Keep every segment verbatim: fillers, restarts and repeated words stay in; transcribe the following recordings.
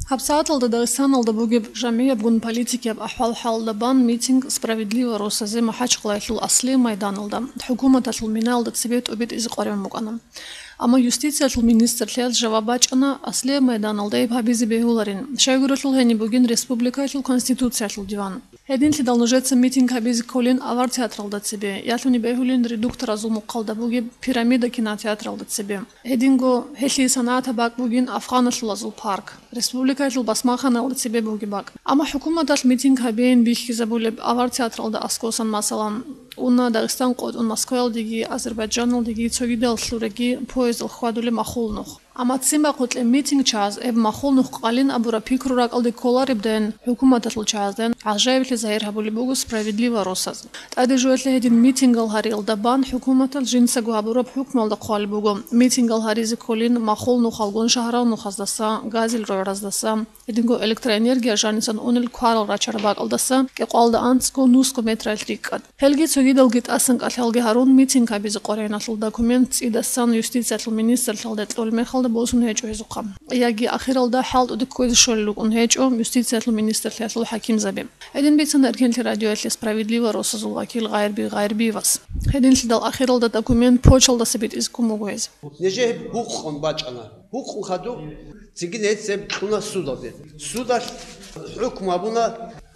ГьабсагӀаталда Дагъистаналда бугеб жамигӀабгун политикияб ахӀвал-хӀалалда бан митинг «Справедливо» росазе МахӀачхъалаялъул Аслияб майданалда, хӀукуматалъул минаялда цебе тӀубитӀизе къваригӀун букӀана. Амма юстициялъул министрлъиялъ жаваб бачӀана, Аслияб майданалда гьеб гьабизе бегьуларин, щайгурелъул гьениб бугин республикаялъул Конституциялъул диван. Гьединлъидал нужеца митинг гьабизе кколин Авар театралда цебе, ялъуни бегьулин редукторазул мухъалда бугеб Пирамида кинотеатралда цебе. Гьединго гьелъие санагӀатаб бакӀ бугин Афгъаналъулазул парк. Республикаялъул басмаханалда цебе бугеб бакӀ. Амма хӀукуматалъ митинг гьабейин бихьизабулеб Авар театралда аскӀосан, масалан, уна Дагъистан къотӀун Москваялдеги, Азербайджаналдеги цогидал лъураги поездал хьвадулеб махул нух. Амма ццин бахъулъе митинг чаз, гьеб махул нух къалин абураб пикру ракӀалде кколаребдайин, хӀукуматалъул чаздайин гӀажаиблъи загьир гьабулеб буго «Справедливо» росаз. ТӀаде жоялъе гьедин митингал гьариялда бан хӀукуматалъ жинцаго гьабураб хӀукмуялда хъвалеб буго, митингал гьаризе кколин махул нухалгун шагьрал нухаздаса, газил рогӀраздаса, гьединго электроэнергия жанисан унел кварал рачараб бакӀалдаса кӀикъвалда анцӀго нусго метралъ рикӀкӀад. Гьелги цогидалги тӀасан кӀалъалги гьарун, митинг гьабизе къваригӀиналъул документ цӀидасан юстициялъул министрлъиялда кьолеб мехалда босун гьечӀо гьезухъа. Яги ахиралда хӀалтӀуде кквезе щолел рукӀун гьечӀо юстициялъул министрлъиялъул хӀакимзаби. Гьедин бицана Эркенлъи радиоялъе «Справедливо» росазул вакил Гъайрби Гъайрбиевас. Гьединлъидал ахиралда документ почталдаса битӀизе ккун буго гьез. Нижее гьеб гьукъун бачӀана. Гьукъун хадуб, цинги нецеб кьуна судалде. Судалъ хӀукму гьабуна,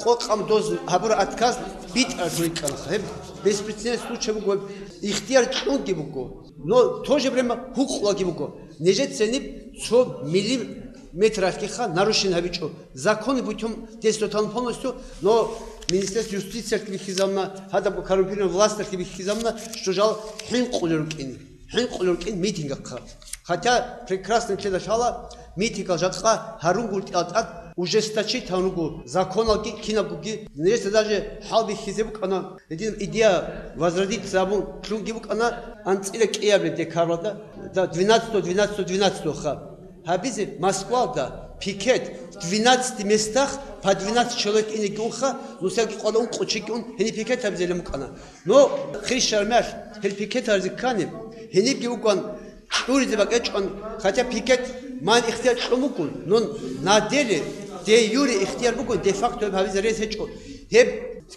къокъаб доз гьабура отказ битӀараб рикӀкӀана. Гьеб беспрецедентный случай буго, гьеб ихтияр кьунги буго. Но в то же время гьукъулаги буго. Нижеца гьениб цо миллиметралъгиха нарушение гьабичӀо. Законный путём действовать гьабун полностью, но Министерство юстициялъги бихьизабуна, гьадаб коррумпированный власталъги бихьизабуна, что жал хӀинкъулел рукӀин. ХӀинкъулел рукӀин митингахъа. Хотя прекрасно нилъеда лъала, митингал жакъа гьарун гуртӀиялда тӀад ужесточить гьавун руго законалги кинабгоги. Нижеца даже хӀалбихьизе букӀана, гьедин идея возродиться абун лъунги букӀана анцӀила кӀиабилеб декабралда, да, двенадцатого, двенадцатого, двенадцатого ха. Гьабизе Москвалда пикет в двенадцати местах по двенадцать человек инеги унха, нусаги къвала ункъо чиги ун гьениб пикет гьабизелин букӀана. Но хирщармялъ гьел пикеталазе ккани, гьенибги угван чӀуризе бакӀечӀун, хотя пикет ман ихтияр кьун бугун, но на деле, де юре ихтияр бугун, де факто гьеб гьабизе рес гьечӀо. Гьеб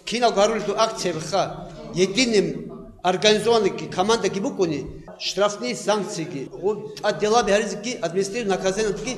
киналго гьарулелъул акциябиха, единым организованныйги командаги бугони, штрафные санкциеги, гъу-, тӀад делаби гьаризеги, административный наказаниеги,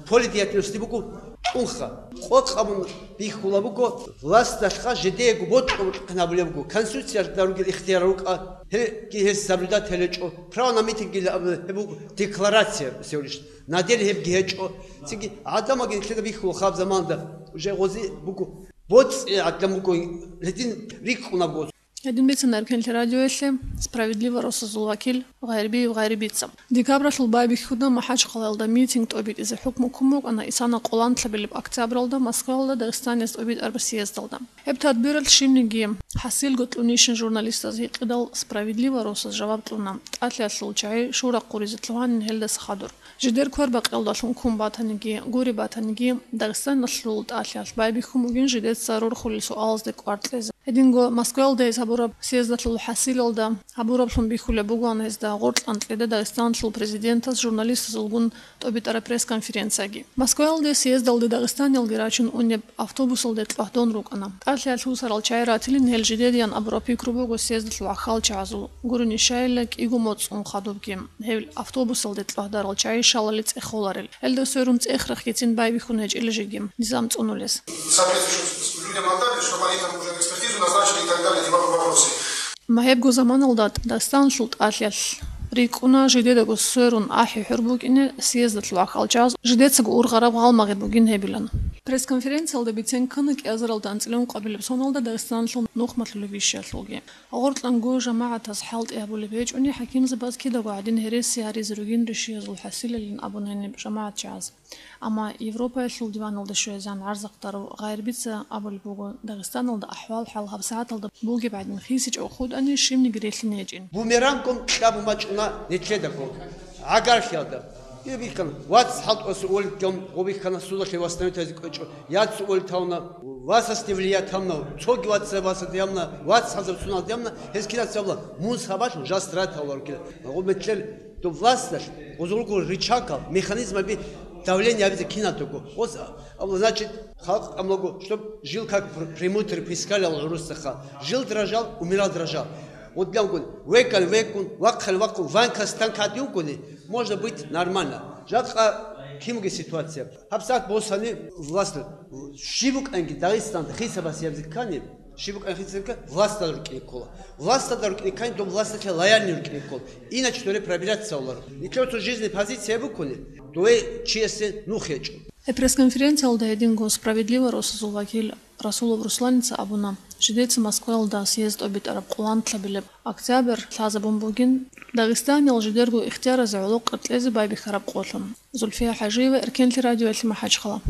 поле деятельности буго кьунха. Къокъабун бихьула буго, власталъха жидеего бокьа-бокьин гьабулеб буго, Конституциялда ругел ихтияр рукӀа, гьебги гьес соблюдать гьелечӀо, право на митинг гьеб буго декларация всего лишь, на деле гьебги гьечӀо. Цинги гӀадамалги нилъеда бихьула хаб заманда, уже гъози буго, боцӀи гӀадлан буго, гьедин рикӀкӀунабго. Гьедин бицана Эркенлъи радиоялъе «Справедливо» росазул вакил Гъайрбиев Гъайрбица. Декабралъул байбихьуда МахӀачхъалаялда митинг тӀобитӀизе хӀукму ккун букӀана исана къоланлъабилеб октябралда Москваялда Дагъистанияс тӀобитӀараб съездалда. Гьеб тадбиралъ щибниги хӀасилго кьунищин журналистаз гьикъидал, «Справедливо» росас жаваб кьуна, тӀалъиялъул чагӀи шурахъ гъуризе лъугьанин гьелдаса хадур. Жидер квербакъиялдалъун ккун батаниги, гури батаниги, Дагъистаналъул тӀалъиялъ байбихьун бугин жидеца рорхулел суалазде кӀвар кьезе. Гьединго Москваялда гьез гьабураб съездалъул хӀасилалда гьабураблъун бихьулеб бугоан гьезда гъоркьан кьеде Дагъистаналъул президентас журналистазулгун тӀобитӀараб пресс-конференцияги. Москваялде съездалде дагъистаниялги рачун унеб автобусалде кьвагьдон рукӀана. ТӀалъиялъ усарал чагӀи ратилин гьел жидедиян абураб пикру буго съездалъул гӀахьалчагӀазул, гурони щайила кӀиго моцӀ ун хадубги. Гьел автобусалде кьвагьдарал чагӀи шалали цӀехоларел. Гьелда сверун цӀех-рехгицин байбихьун гьечӀила жеги низам цӀунулес. Соответствующим людям отдали, чтобы они там уже экспертизу назначили и так далее, эти вопросы. Ма гьебго заманалда Дагъистаналъул тӀалъиялъ рикӀкӀуна, жидедаго сверун ахӀи-хӀур букӀине съездалъул гӀахьалчагӀаз жидецаго ургъараб гъалмагъи бугин гьебилан. Пресс-конференциялда бицен ккана кӀиазаралда анцӀила ункъабилеб соналда Дагъистаналъул нухмалъулеб ишиялъулги. Гъоркьанго жамагӀатас хӀалтӀи гьабулеб гьечӀони, хӀакимзабаз кидаго гӀадин гьереси гьаризе ругин ришиязул хӀасилалин абун гьаниб жамагӀатчагӀаз. Амма Европаялъул диваналда щвезан гӀарзахъдарав Гъайрбица абулеб буго, Дагъистаналда ахӀвал-хӀал гьабсагӀаталда бугеб гӀадин хисичӀого хутӀани, щибниги релълъине гьечӀин. Бумерангун кьабун бачӀуна нилъедаго гӀагарлъиялда. Гьеб бихьана, вац хӀалтӀуса уволить гьавун, гъо бихьана, судалъе восстановить гьаризе кӀвечӀо, яц уволить гьавуна, васасде влиять гьавуна, цоги вац васасде гьавуна, вац хӀалзаб суналде гьавуна, гьез кинаца абула, мун сабаблъун жал страдать гьавуларо кида. Гъо метлъел доб власталъ гъозулго рычагал, механизмаби Давление абизе киналго. Ос, а, значит, халкъ амлаго, чтоб жил как пр-, премудрый пискалал гӀурусаха. Жил дрожал, умирал дрожал. Вот для гун, векал векун, вахъал вахъун, ванка станка дюгуни, можно быть нормально. Жакъа кимги ситуация. ГьабсагӀат босани власть, щиб букӀанги Дагъистан хисабас ябзиккани, щиб букӀан хисабка властал рукӀине ккола. Властал рукӀине ккани, доб власталъе лояльный рукӀине ккола. Иначе доре пробираться авларо. Нилъер цо жизненная позиция букуни, дое чиясе нух гьечӀо. Гьеб пресс-конференциялда гьединго «Справедливо» росазул вакил Расулов Русланица абуна, жидеца Москваялда съезд тӀобитӀараб къоланлъабилеб октябрь лъазабун бугин, Дагъистаниял жидерго ихтияразе гӀоло къеркьезе байбихьараб къолъун. Зульфия ХӀажиева, Эркенлъи радиоялъе МахӀачхъала.